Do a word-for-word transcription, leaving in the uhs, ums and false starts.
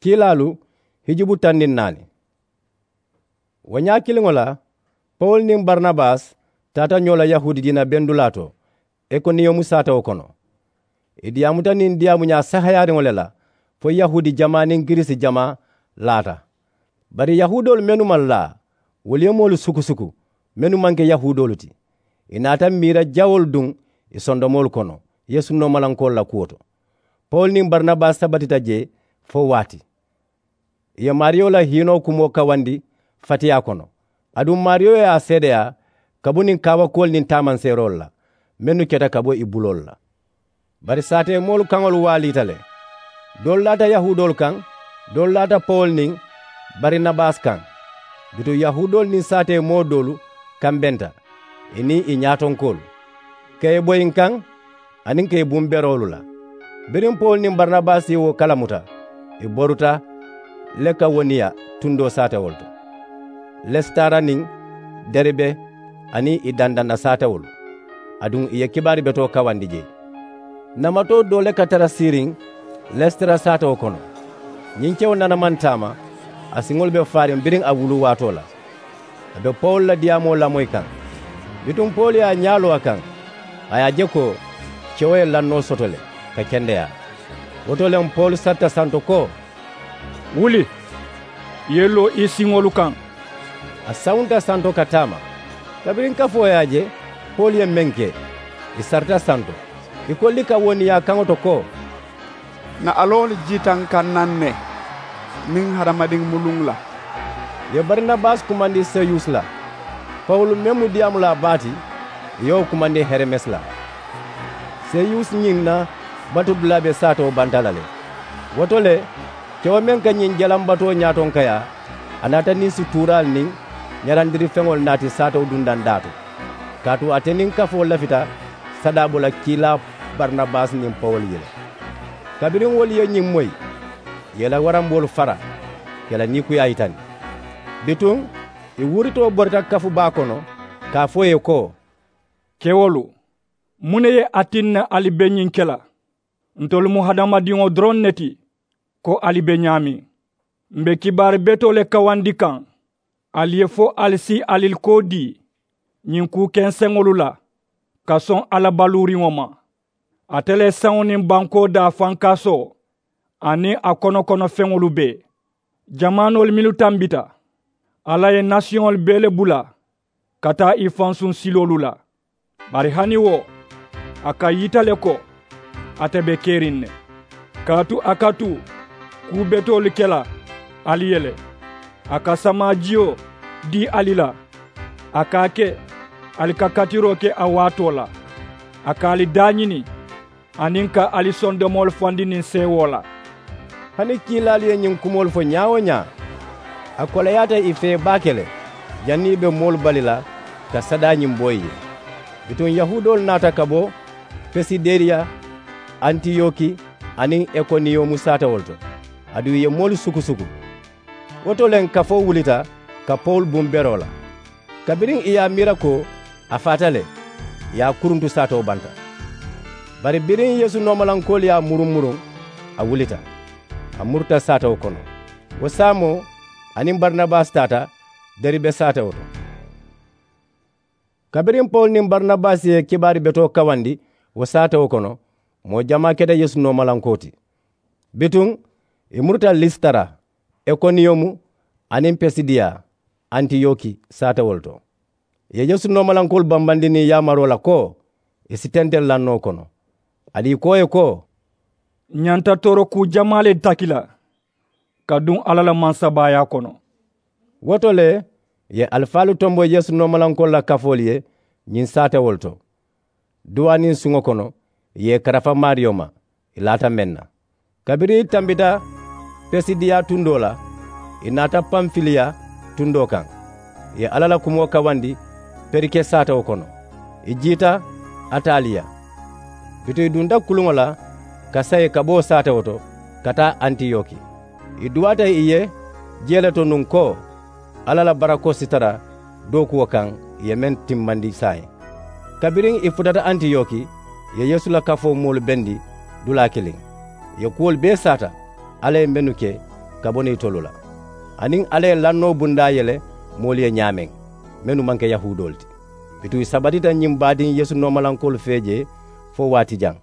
Kiilaalu hijubu taŋ niŋ naani. Wo ñaa kiliŋo la, pawulu niŋ barinabasi taata ñoo la yahuudi diina bendulaa to ikoniyomu saatewo kono. Ì diyaamuta niŋ diyaamuñaa sahayaariŋo le la fo yahuudi jamaa niŋ girisi jamaa laata. Bari yahuudoolu mennu maŋ laa, wolu ye moolu sukusuku mennu maŋ ke yahuudoolu ti. Ì naata miira jawoolu duŋ ì sondomoolu kono yeesu noomalankoolu la kuwo to. Pawulu niŋ barinabasi sabatita jee fo waati. Ì ye maariyo la hiinoo kumoo kawandi fatiyaa kono. Aduŋ maariyo ye a seedeyaa ka bo niŋ kaawakuwolu niŋ taamanseeroolu la mennu keta ka bo ì buloolu la. Bari saateemoolu kaŋolu waaliita le. Doolu laata yahuudoolu kaŋ, doolu laata pawulu niŋ barinabasi kaŋ. Bituŋ yahuudoolu niŋ saateemoo doolu kambenta, ì niŋ ì ñaatonkoolu ka ì boyi n kaŋ aniŋ ka ì buŋ beroolu la. Biriŋ pawulu niŋ barinabasi ye wo kalamuta, ì boruta lekawoniya tundoo saatewolu to, lesitara niŋ deribe aniŋ ì dandanna saatewolu. Aduŋ ì ye kibaari betoo kawandi jee. Namatoo doo le ka tara siiriŋ lesitara saatewo kono. Ñiŋ kewo nana maŋ taama, a siŋolu be faariŋ biriŋ a wulu waatoo la. A be pawulu la diyaamoo lamoyi kaŋ. Bituŋ pawulu ye a ñaa loo a kaŋ, a ye a je ko kewo ye lannoo soto le ka kendeyaa. Wo to le pawulu sarita santo ko, wuli, i ye loo i siŋolu kaŋ. A sawunta santo ka taama. Kabiriŋ kafoo ye a je pawulu ye meŋ ke, ì sarita santo. Ì ko likawoniya kaŋo to ko, na aloolu jiita n kaŋ naŋ ne, niŋ hadamadiŋ mu luŋ la. Ì ye barinabasi kumandi seyusi la. Pawulu meŋ mu diyaamulaa baa ti, ì ye wo kumandi heremesi la. Seyusi ñiŋ na batudulaa be saatewo banta la le. Wo to le, kewo meŋ ka ñiŋ jalambatoo ñaatonkayaa, a naata niŋ sutuuraalu niŋ ñarandirifeŋolu naati saatewo dundandaa to. Kaatu ate niŋ kafoo lafita sadaa bo la kiilaa barinabasi niŋ pawulu ye le. Kabiriŋ wolu ye ñiŋ moyi, ì ye i la waramboolu fara ka i la niikuyaa yitandi. Bituŋ ì wuritoo borita kafu baa kono ka a fo ì ye ko, kewolu, muŋ ne ye a tinna ali be ñiŋ ke la? Ntolu mu hadamadiŋo doroŋ ne ti ko ali be ñaameŋ. M be kibaari betoo le kawandi kaŋ ali ye fo ali si ali koo dii ñiŋ kuu kenseŋolu la ka soŋ a la baluuriŋo ma. Ate le saŋo niŋ bankoo daa fankaasoo aniŋ a kono kono feŋolu bee, jamaanoolu mennu tambita, alla ye nasiyoŋolu bee le bula ka taa i fansuŋ siloolu la. Bari hani wo, a ka yita le ko ate be keriŋ ne. Kaatu a ka tu kuu betoolu ke la ali ye le. A ka samaajiyo dii ali la. A ka a ke ali ka katiroo ke a waatoo la. A ka ali daañini aniŋ ka ali sondomoolu fandi niŋ seewoo la. Hani kiilaalu ye ñiŋ kumoolu fo ñaa-wo-ñaa, a koleyaata ì fee baake le. Janniŋ ì be moolu bali la ka sadaa ñiŋ bo ì ye. Bituŋ yahuudoolu naata ka bo pisideriya, antiyoki aniŋ ikoniyomu saatewolu to. Aduŋ ì ye moolu sukusuku. Wo to le kafoo wulita ka pawulu buŋ beroo la. Kabiriŋ ì ye a miira ko a faata le, ì ye a kuruntu saatewo banta. Bari biriŋ yeesu noomalankoolu ye a muruŋ muruŋ, a wulita, a muruta saatewo kono. Wo saamoo a niŋ barinabasi taata deribe saatewo to. Kabiriŋ pawulu niŋ barinabasi ye kibaari betoo kawandi wo saatewo kono, moo jamaa keta yeesu noomalankoo ti. Bituŋ ì muruta lisitara, ikoniyomu aniŋ pisidiya, antiyoki saatewolu to. Ì ye yeesu noomalankoolu bambandi niŋ yaamaroo la ko ì si tenteleŋ lannoo kono. Aduŋ ì ko ì ye ko, ǹ ñanta tooro kuu jamaa le taki la ka duŋ alla la mansabaayaa kono. Wo to le ì ye alifaalu tombo yeesu noomalankoolu la kafoolu ye ñiŋ saatewolu to. Duwaa niŋ suŋo kono ì ye ì karafa maariyo ma, ì laata meŋ na. Kabiriŋ ì tambita pisidiya tundoo la, ì naata panfiliya tundoo kaŋ. Ì ye alla la kumoo kawandi perike saatewo kono. Ì jiita ataliya. Bituŋ ì dunta kuluŋo la ka sayi ka bo saatewo to ka taa antiyoki. Ì duwaata ì ye jee le to nuŋ ko alla la barakoo si tara dookuwo kaŋ ì ye meŋ timmandi saayiŋ. Kabiriŋ ì futata antiyoki, ì ye yeesu la kafoo moolu bendi dulaa kiliŋ. Ì ye kuwolu bee saata alla ye mennu ke ka bo niŋ itolu la. Aniŋ alla ye lannoo bundaa yele moolu ye ñaameŋ, mennu maŋ ke yahuudoolu ti. Bituŋ i sabatita ñiŋ baadiŋ yeesu noomalankoolu fee jee fo waati jaŋ.